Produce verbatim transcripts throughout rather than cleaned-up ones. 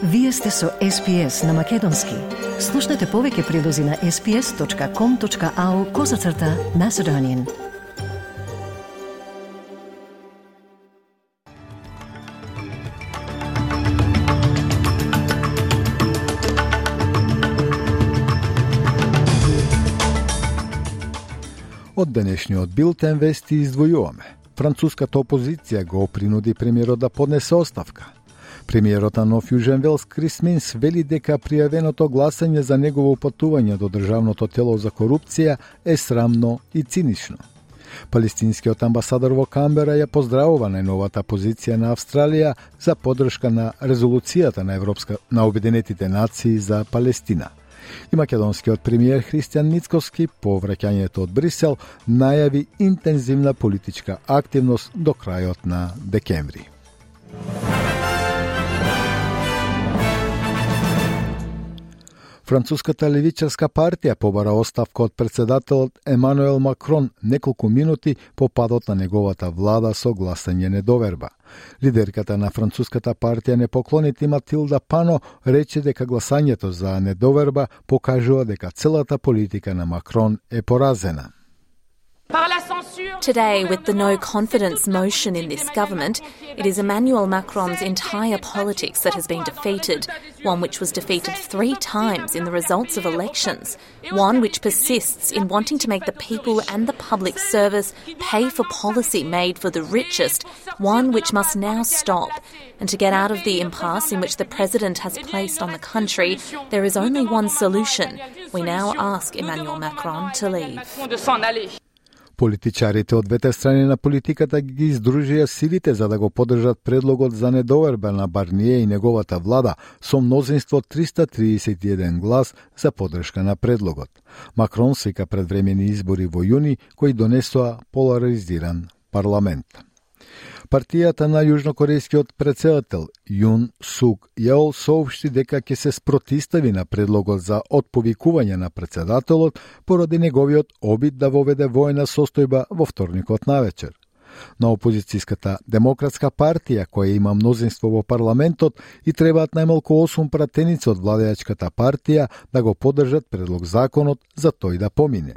Вие сте со Ес Би Ес на Македонски. Слушнете повеќе прилози на ес би ес точка ком точка ау козацрта Macedonian. Од денешниот билтен вести издвојуваме. Француската опозиција го принуди премиерот да поднесе оставка. Премиерот на Нов Јужен Велс Крис Минс вели дека пријавеното гласање за негово упатување до Државното тело за корупција е срамно и цинично. Палестинскиот амбасадор во Камбера ја поздравува најновата позиција на Австралија за поддршка на резолуцијата на Европска на Обединетите нации за Палестина. И македонскиот премиер Христијан Мицковски по враќањето од Брисел најави интензивна политичка активност до крајот на декември. Француската левичарска партија побара оставка од председателот Емануел Макрон неколку минути по падот на неговата влада со гласање недоверба. Лидерката на француската партија Непоклоните Матилда Пано рече дека гласањето за недоверба покажува дека целата политика на Макрон е поразена. Today, with the no confidence motion in this government, it is Emmanuel Macron's entire politics that has been defeated, one which was defeated three times in the results of elections, one which persists in wanting to make the people and the public service pay for policy made for the richest, one which must now stop. And to get out of the impasse in which the President has placed on the country, there is only one solution. We now ask Emmanuel Macron to leave. Политичарите од двете страни на политиката ги издружија силите за да го поддржат предлогот за недоверба на Барние и неговата влада со мнозинство триста триесет и еден глас за поддршка на предлогот. Макрон свика предвремени избори во јуни кои донесоа поларизиран парламент. Партијата на јужнокорејскиот претседател Јун Сук Јеол соопшти дека ќе се спротистави на предлогот за отповикување на претседателот поради неговиот обид да воведе војна состојба во вторникот навечер. На опозицијската Демократска партија, која има мнозинство во парламентот, и требаат најмалку осум пратеници од владеачката партија да го поддржат предлог законот за тој да помине.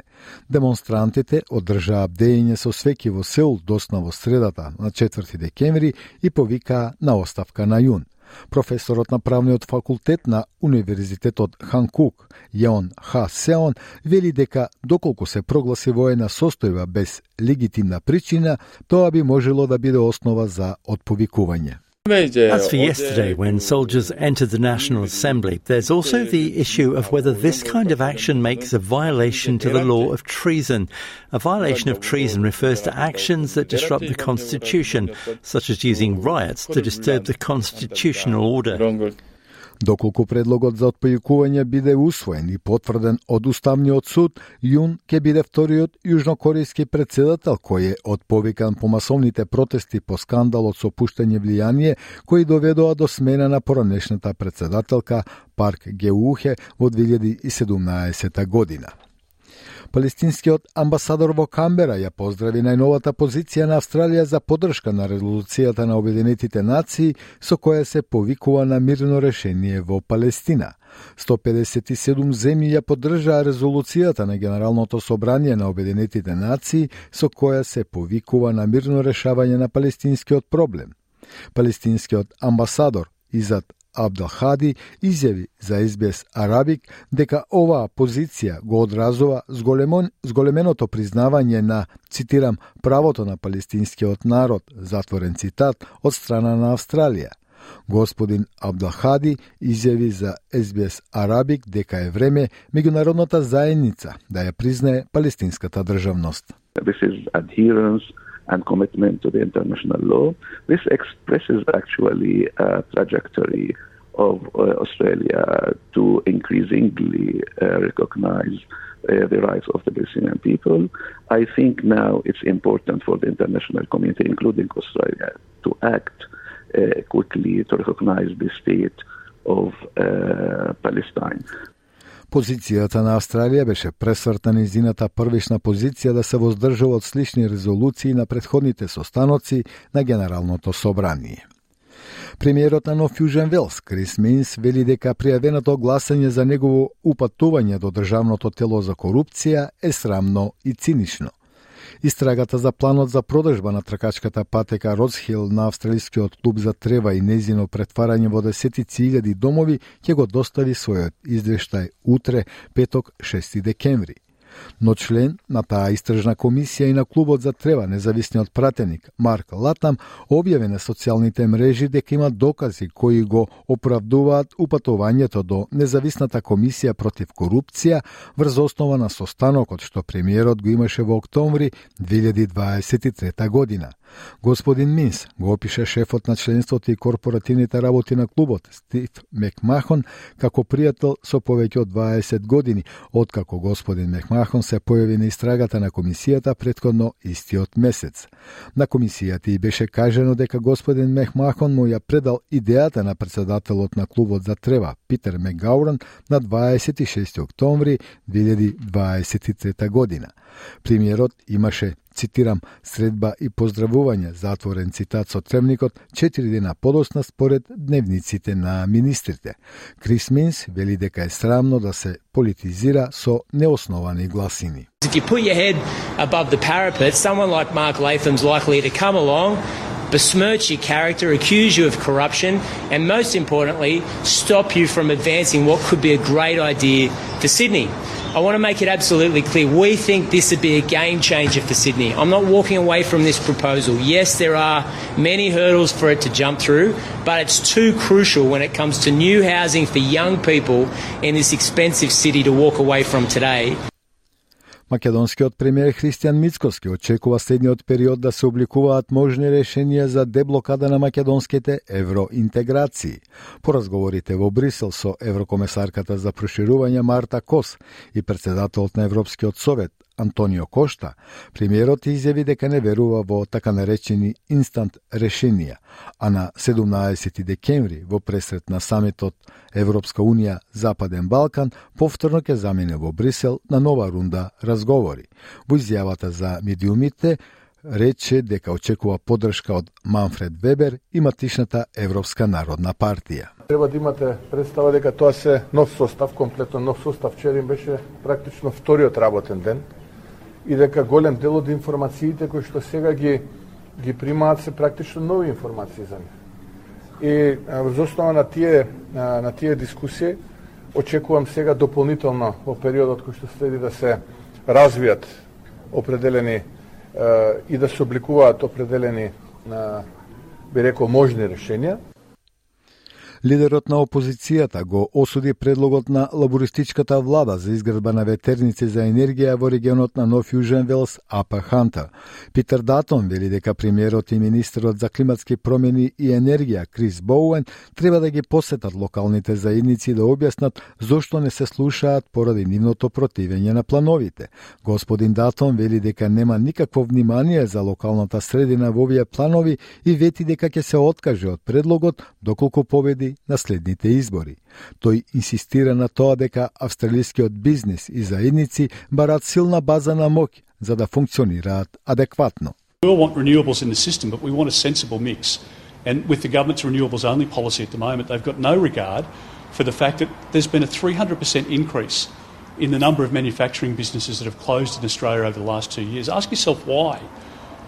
Демонстрантите одржаа бдење со свеќи во Сеул досна во средата на четврти декември и повикаа на оставка на Јун. Професорот на правниот факултет на Универзитетот Ханкук, Јеон Ха Сеон, вели дека доколку се прогласи воена состојба без легитимна причина, тоа би можело да биде основа за отповикување. As for yesterday, when soldiers entered the National Assembly, there's also the issue of whether this kind of action makes a violation to the law of treason. A violation of treason refers to actions that disrupt the Constitution, such as using riots to disturb the constitutional order. Доколку предлогот за отповикување биде усвоен и потврден од Уставниот суд, Јун ќе биде вториот јужнокорејски претседател кој е отповикан по масовните протести по скандалот со пуштање влијание кои доведоа до смена на поранешната претседателка Парк Геухе во две илјади и седумнаесета година. Палестинскиот амбасадор во Камбера ја поздрави најновата позиција на Австралија за поддршка на резолуцијата на Обединетите нации со која се повикува на мирно решение во Палестина. сто педесет и седум земји ја поддржаа резолуцијата на Генералното собрание на Обединетите нации со која се повикува на мирно решавање на палестинскиот проблем. Палестинскиот амбасадор Изад Абделхади изјави за Ес Би Ес Арабик дека оваа позиција го одразува зголемон, зголеменото признавање на, цитирам, правото на палестинскиот народ, затворен цитат, од страна на Австралија. Господин Абделхади изјави за Ес Би Ес Арабик дека е време меѓународната заедница да ја признае палестинската државност. This is adherence and commitment to the international law. This expresses actually a trajectory of uh, Australia to increasingly uh, recognize uh, the rights of the Palestinian people. I think now it's important for the international community, including Australia, to act uh, quickly to recognize the state of uh, Palestine. Позицијата на Австралија беше пресврта нејзината првишна позиција да се воздржува од слични резолуции на претходните состаноци на Генералното собрание. Премиерот на Нов Јужен Велс, Крис Минс, вели дека пријавеното гласање за негово упатување до државното тело за корупција е срамно и цинично. Истрагата за планот за продажба на тркачката патека Родсхил на австралискиот клуб за трева и незино претварање во десетици илјади домови ќе го достави својот извештај утре, петок, шести декември. Но член на таа истражна комисија и на клубот за трева, независниот пратеник Марк Латам, објави на социјалните мрежи дека има докази кои го оправдуваат упатувањето до независната комисија против корупција врз основа на состанокот што премиерот го имаше во октомври две илјади дваесет и трета година. Господин Минс го опиша шефот на членството и корпоративните работи на клубот Стив Мекмахон како пријател со повеќе од дваесет години, откако господин Мекмахон се појави на истрагата на комисијата претходно истиот месец. На комисијата и беше кажано дека господин Мекмахон му ја предал идејата на председателот на клубот за трева Питер Мегауран на дваесет и шести октомври две илјади дваесет и трета година. Премиерот имаше, цитирам, средба и поздравување, затворен цитат со тремникот, четири дена подосна според дневниците на министрите. Крис Минс вели дека е срамно да се политизира со неосновани гласини. If you put your head above the parapet, someone like Mark Latham's likely to come along, besmirch your character, accuse you of corruption, and most importantly, stop you from advancing what could be a great idea for Sydney. I want to make it absolutely clear, we think this would be a game changer for Sydney. I'm not walking away from this proposal. Yes, there are many hurdles for it to jump through, but it's too crucial when it comes to new housing for young people in this expensive city to walk away from today. Македонскиот премиер Христијан Мицкоски очекува следниот период да се обликуваат можни решенија за деблокада на македонските евроинтеграции. По разговорите во Брисел со еврокомесарката за проширување Марта Кос и председателот на Европскиот совет Антонио Кошта, премиерот изјави дека не верува во така наречени инстант решенија, а на седумнаесети декември во пресрет на самитот Европска Унија Западен Балкан повторно ќе замине во Брисел на нова рунда разговори. Во изјавата за медиумите рече дека очекува поддршка од Манфред Вебер и матишната Европска народна партија. Треба да имате представа дека тоа се нов состав, комплетно нов состав. Вчера им беше практично вториот работен ден и дека голем дел од информациите кои што сега ги ги примаат се практично нови информации за нив. И врз основа на тие на тие дискусии очекувам сега дополнително во периодот кој што следи да се развијат определени и да се обликуваат определени, би рекол, можни решенија. Лидерот на опозицијата го осуди предлогот на лабористичката влада за изградба на ветерници за енергија во регионот на Нов Јужен Велс, Апа Ханта. Питер Датон вели дека премиерот и министерот за климатски промени и енергија Крис Боуен треба да ги посетат локалните заедници да објаснат зошто не се слушаат поради нивното противење на плановите. Господин Датон вели дека нема никакво внимание за локалната средина во овие планови и вети дека ќе се откаже од предлогот доколку победи на следните избори. Тој инсистира на тоа дека австралискиот бизнес и заедници барат силна база на моќ за да функционираат адекватно. We all want renewables in the system, but we want a sensible mix. And with the government's renewables only policy at the moment, they've got no regard for the fact that there's been a three hundred percent increase in the number of manufacturing businesses that have closed in Australia over the last two years. Ask yourself why.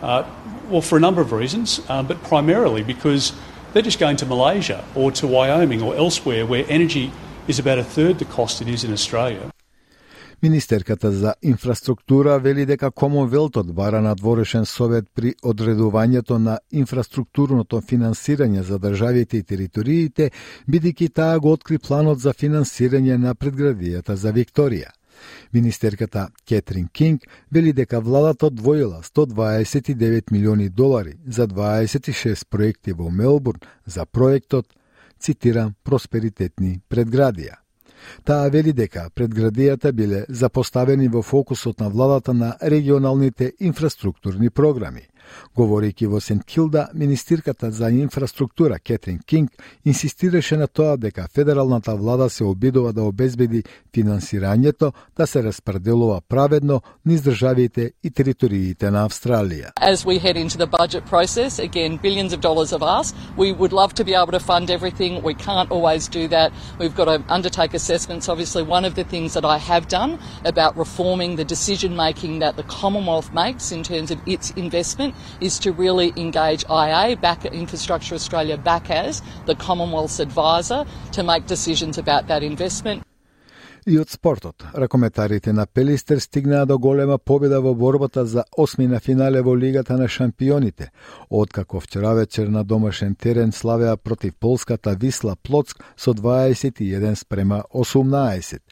Uh, well, for a number of reasons, um, but primarily because they're just going to Malaysia or to Wyoming or elsewhere where energy is about a third the cost it is in Australia. Министерката за инфраструктура вели дека Комонвелтот бара надворешен совет при одредувањето на инфраструктурното финансирање за државите и териториите, бидејќи таа го откри планот за финансирање на предградијата за Викторија. Министерката Кетрин Кинг вели дека владата одвоила сто дваесет и девет милиони долари за дваесет и шест проекти во Мелбурн за проектот, цитирам, просперитетни предградија. Таа вели дека предградијата биле запоставени во фокусот на владата на регионалните инфраструктурни програми. Говорејќи во Сент Килда, министирката за инфраструктура Кетрин Кинг инсистираше на тоа дека федералната влада се обидува да обезбеди финансирањето да се распределува праведно низ државите и териториите на Австралија. As we head into the budget process, again, billions of dollars have asked. We would love to be able to fund everything. We can't always do that. We've got to undertake assessments. Obviously, one of the things that I have done about reforming the decision making that the Commonwealth makes in terms of its investment is to really engage I A, back at Infrastructure Australia, back as the Commonwealth's advisor to make decisions about that investment. И од спортот, ракометарите на Пелистер стигнаа до голема победа во борбата за осми на финале во Лигата на шампионите, откако вчера вечер на домашен терен славеа против полската Висла Плоцк со дваесет и еден спрема осумнаесет.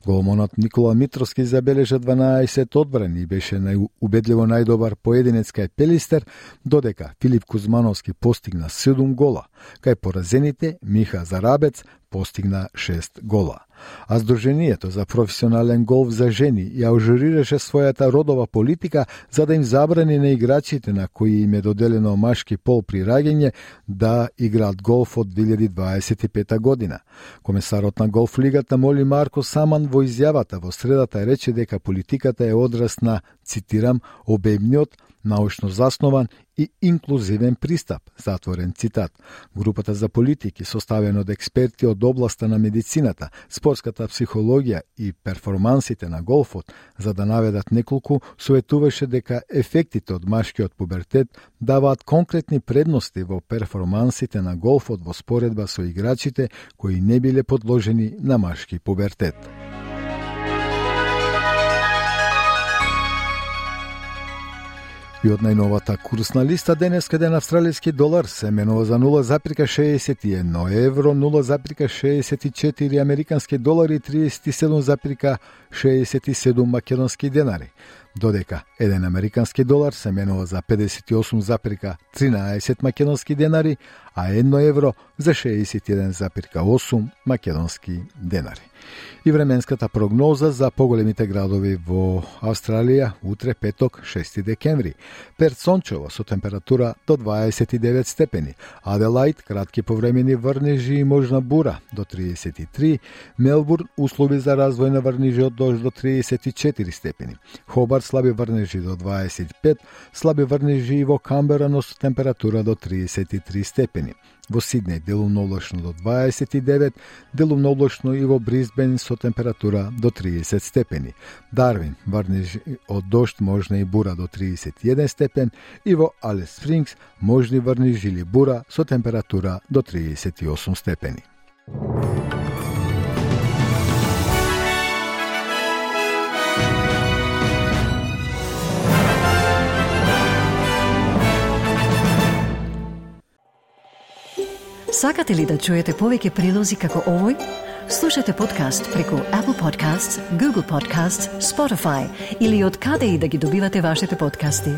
Голманот Никола Митровски забележа дванаесет одбрани и беше најубедливо најдобар поединец кај Пелистер, додека Филип Кузмановски постигна седум гола, кај поразените Миха Зарабец постигна шест гола. А Сдруженијето за професионален голф за жени ја ажурираше својата родова политика за да им забрани на играчите на кои им е доделено машки пол при раѓање да играат голф од две илјади дваесет и пета година. Комесарот на голф лигата Моли Марко Саман во изјавата во средата рече дека политиката е одраз на, цитирам, обемниот, научно заснован и инклузивен пристап, затворен цитат. Групата за политики, составена од експерти од областа на медицината, спортската психологија и перформансите на голфот, за да наведат неколку, советуваше дека ефектите од машкиот пубертет даваат конкретни предности во перформансите на голфот во споредба со играчите кои не биле подложени на машки пубертет. И од најновата курсна листа денес еден австралиски долар се менува за нула запирка шеесет и едно евро, нула запирка шеесет и четири американски долари и триесет и седум запирка шеесет и седум македонски денари, додека еден американски долар се менува за педесет и осум запирка тринаесет македонски денари, а едно евро за шеесет и еден запирка осум македонски денари. И временската прогноза за поголемите градови во Австралија утре петок шести декември. Перт сончево со температура до дваесет и девет степени, Аделаид кратки повремени врнежи и можна бура до триесет и три, Мелбурн услови за развој на врнежи од дожд до триесет и четири степени, Хобарт слаби врнежи до дваесет и пет, слаби врнежи и во Камбера, но со температура до триесет и три степени. Во Сиднеј делумно облачно до дваесет и девет, делумно облачно и во Брисбен со температура до триесет степени. Дарвин врнежи од дожд, можна и бура до триесет и еден степен и во Алис Спрингс можни врнежи или бура со температура до триесет и осум степени. Сакате ли да чуете повеќе прилози како овој? Слушате подкаст преку Apple Podcasts, Google Podcasts, Spotify или од каде и да ги добивате вашите подкасти.